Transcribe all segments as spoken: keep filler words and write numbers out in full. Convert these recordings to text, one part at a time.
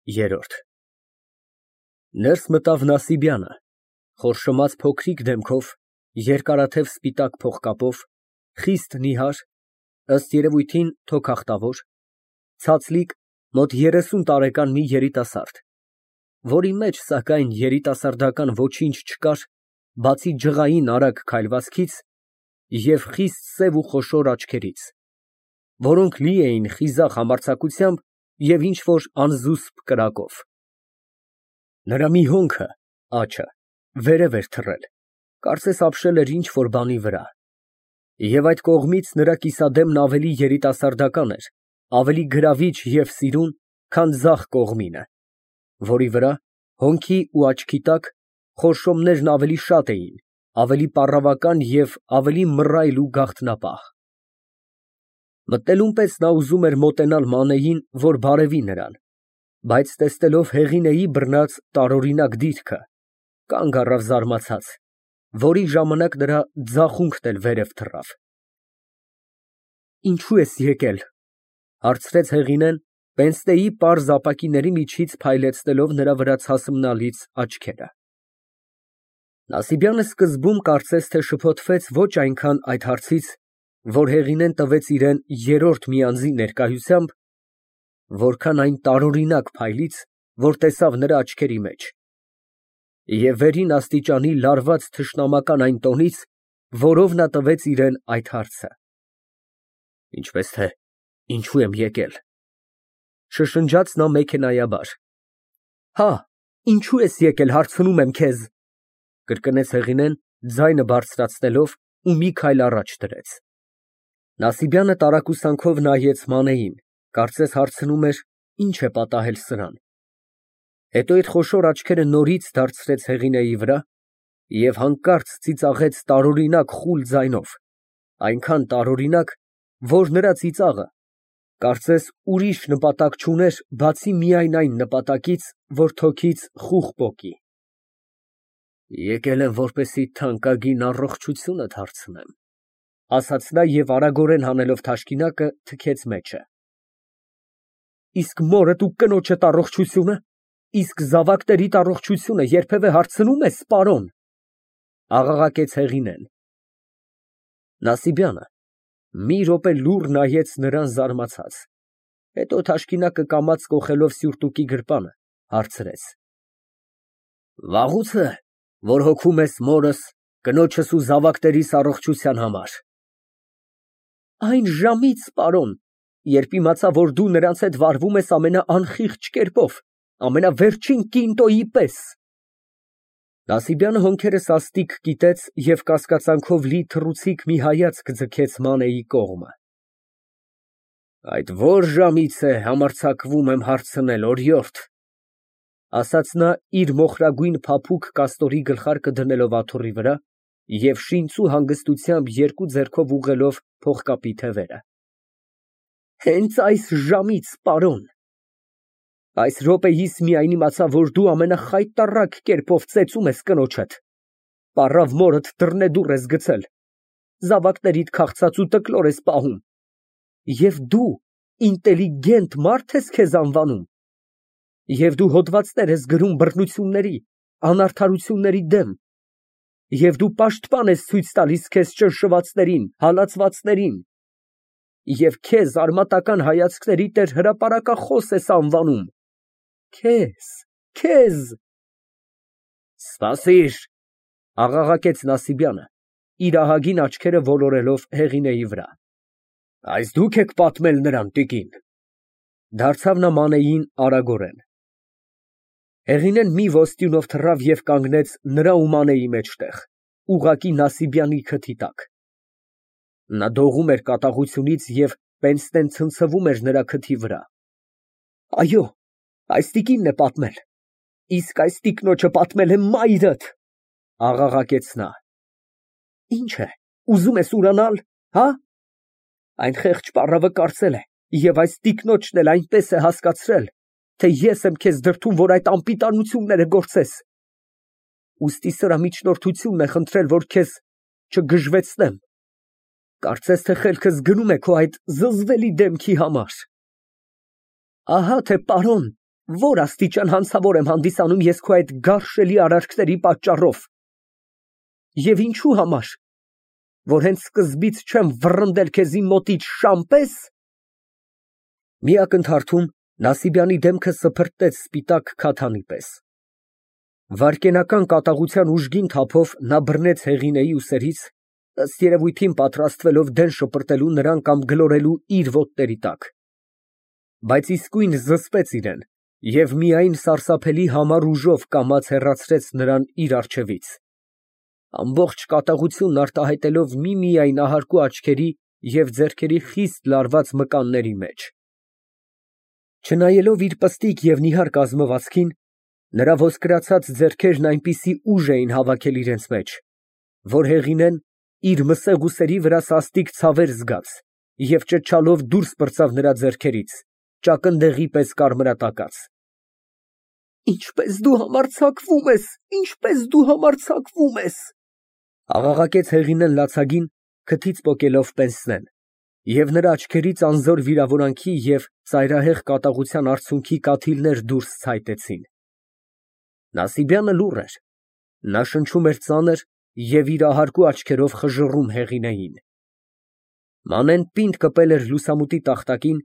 Երրորդ Ներս մտավ Նասիբյանը, խորշոմած փոքրիկ դեմքով, երկարաթև սպիտակ փողկապով, խիստ նիհար, ըստ երևույթին թոքախտավոր, ցածլիկ, մոտ երեսուն տարեկան մի երիտասարդ, որի մեջ, սակայն, երիտասարդական ոչինչ չկար, բացի ջղային արագ քայլվածքից և խիստ սև ու խոշոր աչքերից, որոնք լի էին խիզախ համարձակությամբ և ինչ֊որ անզուսպ կրակով։ Նրա մի հոնքը (աջը) վերև էր թռել, կարծես ապշել էր ինչ֊որ բանի վրա, և այդ կողմից նրա կիսադեմն ավելի երիտասարդական էր, ավելի գրավիչ և սիրուն, քան ձախ կողմինը, որի վրա, հոնքի ու աչքի տակ, խորշոմներն ավելի շատ էին, ավելի պառավական և ավելի մռայլ ու գաղտնապահ։ Մտնելուն պես նա ուզում էր մոտենալ Մանեին, որ բարևի նրան, բայց տեսնելով Հեղինեի բռնած տարօրինակ դիրքը, կանգ առավ զարմացած, որի ժամանակ նրա ձախունքն էլ վերև թռավ։ «Ինչո՞ւ ես եկել, ֊ հարցրեց Հեղինեն, պենսնեի պարզ ապակիների միջից փայլեցնելով նրա վրա ցասմնալից աչքերը։ Նասիբյանը սկզբում կարծես թե շփոթվեց ոչ այնքան այդ հարցից, որ Հեղինեն տվեց իրան երրորդ մի անձի ներկայությամբ, որքան այն տարօրինակ փայլից, որ տեսավ նրա աչքերի մեջ, և վերին աստիճանի լարված թշնամական այն տոնից, որով նա տվեց իրան այդ հարցը։ «Ինչպես թե ինչո՞ւ եմ եկել, ֊ շշնջաց նա մեքենայաբար։ ֊ Հա, ինչո՞ւ ես եկել, հարցնում եմ քեզ, ֊ կրկնեց Հեղինեն, ձայնը բարձրացնելով, ու մի քայլ առաջ դրեց։ Նասիբյանը տարակուսանքով նայեց Մանեին, կարծես հարցնում էր. ի՞նչ է պատահել սրան։ Հետո իր խոշոր աչքերը նորից դարձրեց Հեղինեի վրա և հանկարծ ծիծաղեց տարօրինակ խուլ ձայնով, այնքան տարօրինակ, որ նրա ծիծաղը, կարծես, ուրիշ նպատակ չուներ, բացի միայն այն նպատակից, որ թոքից խուխ պոկի։ «Եկել եմ, որպեսզի թանկագին առողջությունդ հարցնեմ, ֊ ասաց նա և արագորեն հանելով թաշկինակը, թքեց մեջը։ ֊ Իսկ մորդ ու կնոջդ առողջությո՞ւնը, իսկ զավակներիդ առողջությունը երբևէ հարցնո՞ւմ ես, պարոն, ֊ աղաղակեց Հեղինեն։ Նասիբյանը մի րոպե լուռ նայեց նրան զարմացած, հետո թաշկինակը կամաց կոխելով սյուրտուկի գրպանը, հարցրեց. Վաղո՞ւց է, որ հոգում ես մորս, կնոջս ու զավակներիս առողջության համար։ ֊ Այն ժամից, պարոն, երբ իմացա, որ դու նրանց հետ վարվում ես ամենաանխիղճ կերպով, ամենավերջին կինտոյի պես։ Նասիբյանը հոնքերը սաստիկ կիտեց և կասկածանքով լի թռուցիկ մի հայացք ձգեց Մանեի կողմը։ Այդ ո՞ր ժամից է համարձակվում եմ հարցնել, օրիորդ, ֊ ասաց նա, իր մոխրագույն փափուկ կաստորի գլխարկը դնելով աթոռի վրա և շինծու հանգստությամբ երկու ձեռքով ուղղելով փողկապի թևերը։ ֊ Հենց այս ժամից, պարոն։ Այս րոպեիս միայն իմացա, որ դու ամենախայտառակ կերպով ծեծում ես կնոջդ, պառավ մորդ դռնեդուռ ես գցել, զավակներիդ քաղցած ու տկլոր ես պահում, և դու ինտելիգենտ մարդ ես քեզ անվանում, և դու հոդվածներ ես գրում բռնությունների, անարդարությունների դեմ, և դու պաշտպան ես ցույց տալիս քեզ ճնշվածներին, հալածվածներին, և քեզ արմատական հայացքների տեր հրապարակախոս ես անվանում, քեզ, քեզ… Սպասիր, ֊ աղաղակեց Նասիբյանը, իր ահագին աչքերը ոլորելով Հեղինեի վրա։ Այս դուք եք պատմել նրան, տիկին։ Դարձավ նա Մանեին արագորեն։ Հեղինեն մի ոստյունով թռավ և կանգնեց նրա ու Մանեի մեջտեղ, ուղղակի Նասիբյանի քթի տակ։ Նա դողում էր կատաղությունից և պենսնեն ցնցվում էր նրա քթի վրա։ Այո, այս տիկինն է պատմել, իսկ այս տիկնոջը պատմել է մայրդ, ֊ աղաղակեց նա։ Ինչ է, ուզում ես ուրանալ, հա՞։ Այն խեղճ պառավը կարծել է, և այս տիկնոջն էլ այնպես է հասկացրել, թե ես եմ քեզ դրդում, որ այդ անպիտանությունները գործես, ուստի սրա միջնորդությունն է խնդրել, որ քեզ չգժվեցնեմ, կարծես թե խելքս գնում է քո այդ զզվելի դեմքի համար։ Ահա թե պարոն, Որ աստիճան հանցավոր եմ հանդիսանում ես քո այդ գարշելի արարքների պատճառով։ Եվ ինչու համար, որ հենց սկզբից չեմ վռնդել քեզ իմ մոտից շան պես։ Մի ակնթարթում Նասիբյանի դեմքը սփռտեց սպիտակ քաթանի պես։ Վայրկենական կատաղության ուժգին թափով նա բռնեց Հեղինեի ուսերից, ըստ երևույթին պատրաստվելով դեն շպրտելու նրան կամ գլորելու իր ոտների տակ։ Բայց իսկույն զսպեց իրեն և միայն սարսափելի համառ ուժով կամաց հեռացրեց նրան իր առջևից, ամբողջ կատաղությունն արտահայտելով միմիայն ահարկու աչքերի և ձեռքերի խիստ լարված մկանների մեջ։ Չնայելով իր պստիկ և նիհար կազմվածքին, նրա ոսկրացած ձեռքերն այնպիսի ուժ էին հավաքել իրենց մեջ, որ Հեղինեն իր մսեղ ուսերի վրա սաստիկ ցավեր զգաց և ճչալով դուրս պրծավ նրա ձեռքերից, ճակնդեղի պես կարմրատակած։ Ինչպես դու համարձակվում ես, ինչպես դու համարձակվում ես, աղաղակեց Հեղինեն լացագին, քթից պոկելով պենսնեն, և նրա աչքերից անզոր վիրավորանքի և ծայրահեղ կատաղության արցունքի կաթիլներ դուրս ցայտեցին։ Նասիբյանը լուռ էր, նա շնչում էր ծանր և իր ահարկու աչքերով խժռում Հեղինեին։ Մանեն պինդ կպել էր լուսամուտի տախտակին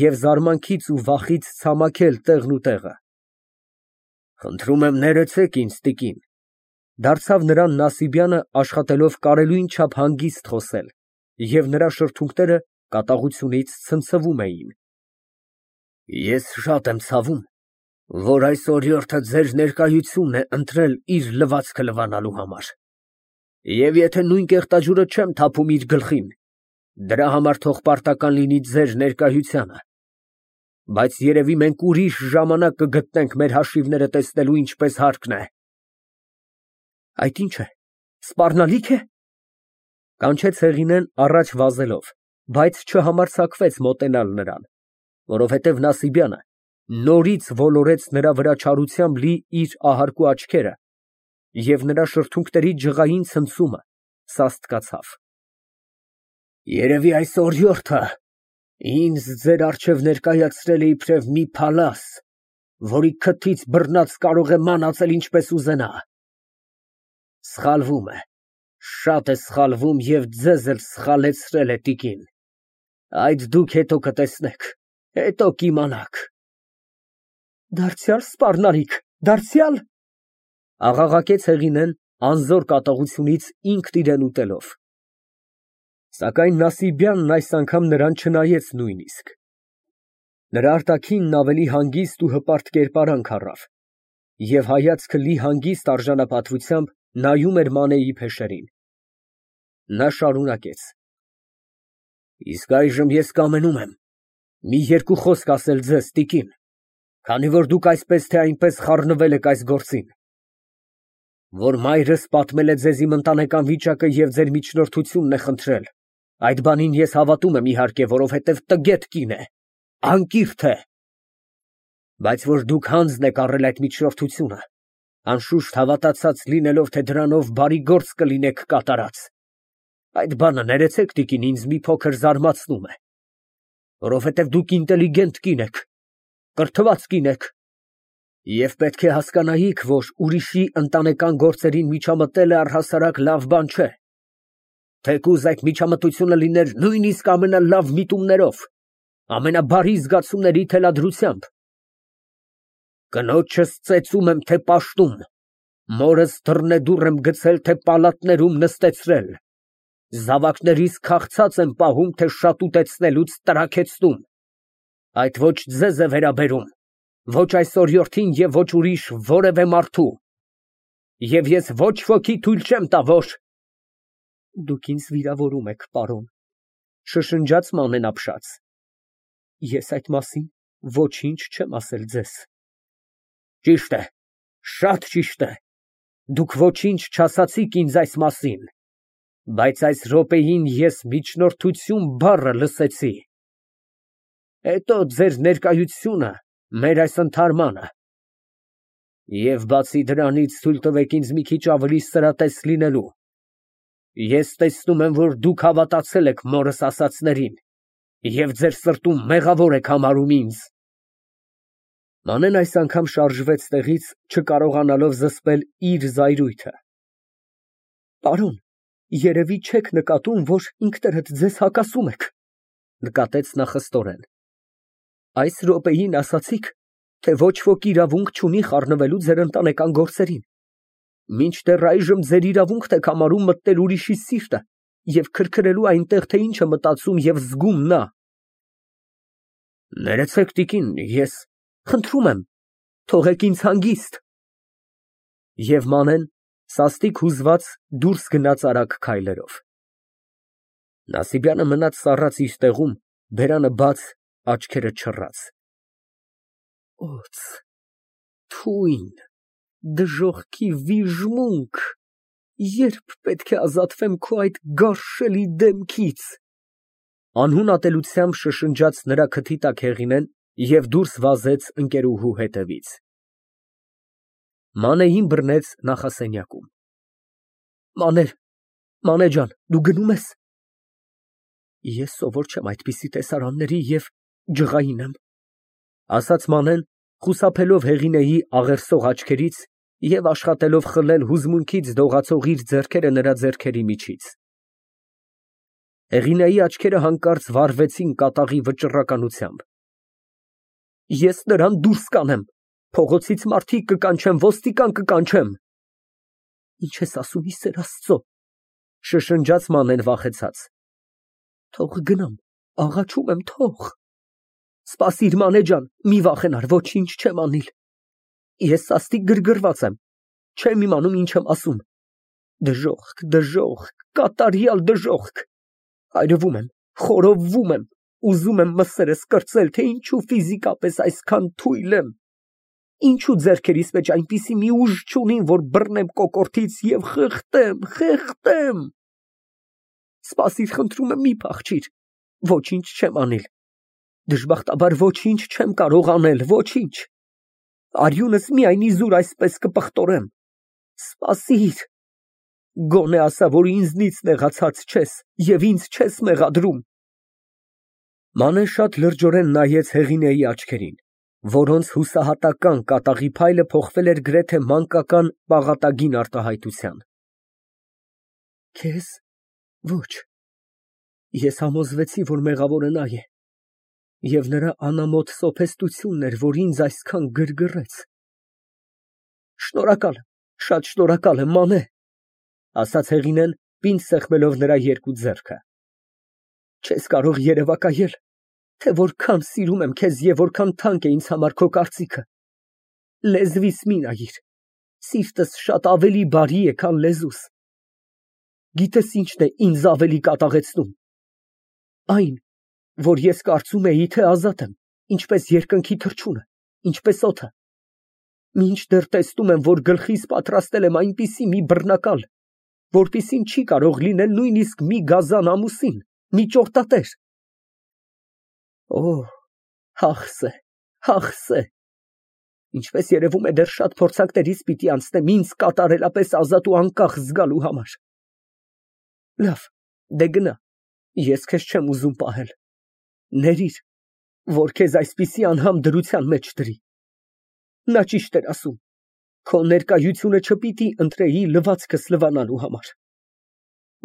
և զարմանքից ու վախից ցամաքել տեղն ու տեղը։ Խնդրում եմ ներեցեք ինձ, տիկին, դարձավ նրան Նասիբյանը, աշխատելով կարելույն չափ հանգիստ խոսել, և նրա շրթունքները կատաղությունից ցնցվում էին։ Ես շատ եմ ցավում, որ այս օրիորդը ձեր ներկայությունն է ընտրել իր լվացքը լվանալու համար, և եթե նույն կեղտաջուրը չեմ թափում իր գլխին, դրա համար թող պարտական լինի ձեր ներկայությանը, բայց երևի մենք ուրիշ ժամանակ կգտնենք մեր հաշիվները տեսնելու ինչպես հարկն է։ Այդ ի՞նչ է, սպառնալի՞ք է, կանչեց Հեղինեն առաջ վազելով, բայց չհամարձակվեց մոտենալ նրան, որովհետև Նասիբյանը նորից ոլորեց նրա վրա չարությամբ լի իր ահարկու աչքերը, և նրա շրթունքների ջղային ցնցումը սաստկացավ։ Երևի այս օրիորդը ինձ ձեր առջև ներկայացրել է իբրև մի փալաս, որի քթից բռնած կարող է մանածել ինչպես ուզենա։ Սխալվում է, շատ է սխալվում և ձեզ էլ սխալեցրել է, տիկին, այդ դուք հետո կտեսնեք, հետո կիմանաք։ Դարձյալ սպառնալիք, դարձյալ, աղաղակեց Հեղինեն անզոր կատաղությունից ինքն իրեն ուտելով։ Սակայն Նասիբյանն այս անգամ նրան չնայեց նույնիսկ։ Նրա արտաքինն ավելի հանգիստ ու հպարտ կերպարանք առավ, և հայացքը լի հանգիստ արժանապատվությամբ նայում էր Մանեի փեշերին։ Նա շարունակեց. Իսկ այժմ ես կամենում եմ մի երկու խոսք ասել ձեզ, տիկին, քանի որ դուք այսպես թե այնպես խառնվել եք այս գործին։ Որ մայրս պատմել է ձեզ իմ ընտանեկան վիճակը և ձեր միջնորդությունն է խնդրել, այդ բանին ես հավատում եմ, իհարկե, որովհետև տգետ կին է, անկիրք է։ Բայց որ դուք հանձն եք առել այդ միջնորդությունը, անշուշտ հավատացած լինելով, թե դրանով բարի գործ կլինեք կատարած, այդ բանը, ներեցեք, տիկին, ինձ մի փոքր զարմացնում է, որովհետև դուք ինտելիգենտ կին եք, կրթված կին եք, և պետք է հասկանայիք, որ ուրիշի ընտանեկան գործերին միջամտելը առհասարակ լավ բան չէ, թեկուզ այդ միջամտությունը լիներ նույնիսկ ամենալավ միտումներով, ամենաբարի զգացումների թելադրությամբ։ Կնոջս ծեծում եմ, թե պաշտում, մորս դռնեդուռ եմ գցել, թե պալատներում նստեցրել, զավակներիս քաղցած եմ պահում, թե շատուտեցնելուց տրաքեցնում, այդ ոչ ձեզ է վերաբերում, ոչ այս օրիորդին և ոչ ուրիշ որևէ մարդու, և ես ոչ ոքի թույլ չեմ տա, որ… Դուք ինձ վիրավորում եք, պարոն, շշնջաց Մանեն ապշած, ես այդ մասին ոչինչ չեմ ասել ձեզ։ Ճիշտ է, շատ ճիշտ է, դուք ոչինչ չասացիք ինձ այս մասին, բայց այս րոպեին ես միջնորդություն բառը լսեցի։ Հետո ձեր ներկայությունը մեր այս ընդհարմանը։ Եվ բացի դրանից թույլ տվեք ինձ մի քիչ ավելի սրատես լինելու։ Ես տեսնում եմ, որ դուք հավատացել եք մորս ասածներին և ձեր սրտում մեղավոր եք համարում ինձ։ Մանեն այս անգամ շարժվեց տեղից, չկարողանալով զսպել իր զայրույթը։ Պարոն, երևի չեք նկատում, որ ինքներդ ձեզ հակասում եք, նկատեց նա խստորեն։ Այս րոպեին ասացիք, թե ոչ ոք իրավունք չունի խառնվելու ձեր ընտանեկան գործերին, մինչդեռ այժմ ձեր իրավունքն եք համարում մտնել ուրիշի սիրտը և քրքրելու այնտեղ, թե ինչ է մտածում և զգում նա։ Ներեցեք, տիկին, ես խնդրում եմ, թողեք ինձ հանգիստ։ Եվ Մանեն սաստիկ հուզված դուրս գնաց արագ քայլերով։ Նասիբյանը մնաց սառած իր տեղում, բերանը բաց, աչքերը չռած։ Օձ, թույն, դժոխքի վիժմունք, երբ պետք է ազատվեմ քո այդ գարշելի դեմքից։ Անհուն ատելությամբ շշնջաց նրա քթի տակ Հեղինեն և դուրս վազեց ընկերուհու հետևից։ Մանեին բռնեց նախասենյակում։ Մանե, Մանե ջան, դու գնո՞ւմ ես։ Ես սովոր չեմ այդպիսի տեսարանների և ջղային եմ, ասաց Մանեն, խուսափելով Հեղինեի աղերսող աչքերից և աշխատելով խլել հուզմունքից դողացող իր ձեռքերը նրա ձեռքերի միջից։ Հեղինեի աչքերը հանկարծ վառվեցին կատաղի վճռականությամբ։ Ես նրան դուրս կանեմ, փողոցից մարդիկ կկանչեմ, ոստիկան կկանչեմ։ Ինչ ես ասում, ի սեր Աստծո, շշնջաց Մանեն վախեցած։ Թող գնամ, աղաչում եմ, թող։ Սպասիր, Մանե ջան, մի վախենար, ոչինչ չեմ անիլ։ Ես սաստիկ գրգռված եմ, չեմ իմանում ինչ եմ ասում։ Դժոխք, դժոխք, կատարյալ դժոխք։ Այրվում եմ, խորովվում եմ, ուզում եմ մսերս կրծել, թե ինչու ֆիզիկապես այսքան թույլ եմ։ Ինչու ձեռքերիս մեջ այնպիսի մի ուժ չունիմ, որ բռնեմ կոկորդից և խեղդեմ, խեղդեմ։ Սպասիր, խնդրում եմ, մի փախչիր, ոչինչ չեմ անիլ։ Դժբախտաբար ոչինչ չեմ կարող անել, ոչինչ։ Արյունս միայն իզուր այսպես կպղտորեմ։ Սպասիր։ Գոնե ասա, որ ինձնից նեղացած չես և ինձ չես մեղադրում։ Մանեն շատ լրջորեն նայեց Հեղինեի աչքերին, որոնց հուսահատական կատաղի փայլը փոխվել էր գրեթե մանկական պաղատագին արտահայտության։ Քեզ ոչ։ Ես համոզվեցի, որ մեղավորը նա է, և նրա անամոթ սոփեստությունն էր, որ ինձ այսքան գրգռեց։ Շնորհակալ եմ, շատ շնորհակալ եմ, Մանե, ասաց Հեղինեն, պինդ սեղմելով նրա երկու ձեռքը։ Չես կարող երևակայել, թե որքան սիրում եմ քեզ և որքան թանկ է ինձ համար քո կարծիքը։ Լեզվիս մի նայիր, սիրտս շատ ավելի բարի է, քան լեզուս։ Գիտես ինչն է ինձ ավելի կատաղեցնում։ Այն, որ ես կարծում էի, թե ազատ եմ, ինչպես երկնքի թռչունը, ինչպես օդը։ Մինչդեռ տեսնում եմ, որ գլխիս պատրաստել եմ այնպիսի մի բռնակալ, որպիսին չի կարող լինել նույնիսկ մի գազան ամուսին, մի ճորտատեր։ Օ, հախս է, հախս է։ Ինչպես երևում է, դեռ շատ փորձանքներից պիտի անցնեմ ինձ կատարելապես ազատ ու անկախ զգալու համար։ Լավ, դե գնա, ես քեզ չեմ ուզում պահել։ Ներիր, որ քեզ այսպիսի անհամ դրության մեջ դրի։ Նա ճիշտ էր ասում, քո ներկայությունը չպիտի ընտրեի լվացքս լվանալու համար։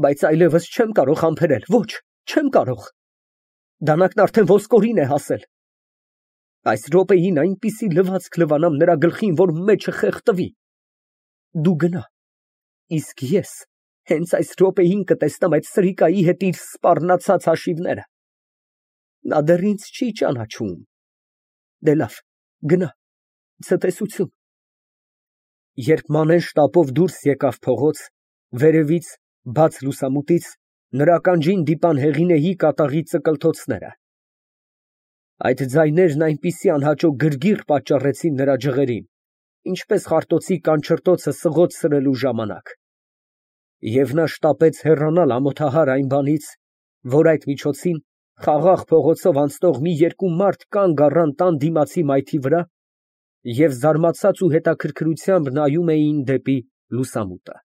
Բայց այլևս չեմ կարող համբերել, ոչ, չեմ կարող։ Դանակն արդեն ոսկորին է հասել։ Այս րոպեին այնպիսի լվացք լվանամ նրա գլխին, որ մեջը խեղդվի։ Դու գնա, իսկ ես հենց այս րոպեին կտեսնեմ այդ սրիկայի հետ իր սպառնացած հաշիվները։ Նա դեռ ինձ չի ճանաչում։ Դե լավ, գնա, ցտեսություն։ Երբ Մանեն շտապով դուրս եկավ փողոց, վերևից, բաց լուսամուտից, նրա ականջին դիպան Հեղինեի կատաղի ծկլթոցները։ Այդ ձայներն այնպիսի անհաճո գրգիռ պատճառեցին նրա ջղերին, ինչպես խարտոցի կանչրտոցը սղոց սրելու ժամանակ։ Եվ նա շտապեց հեռանալ ամոթահար այն բանից, որ այդ միջոցին խաղաղ փողոցով անցնող մի երկու մարդ կանգ առան տան դիմացի մայթի վրա և զարմացած ու հետաքրքրությամբ նայում էին դեպի լուսամուտը։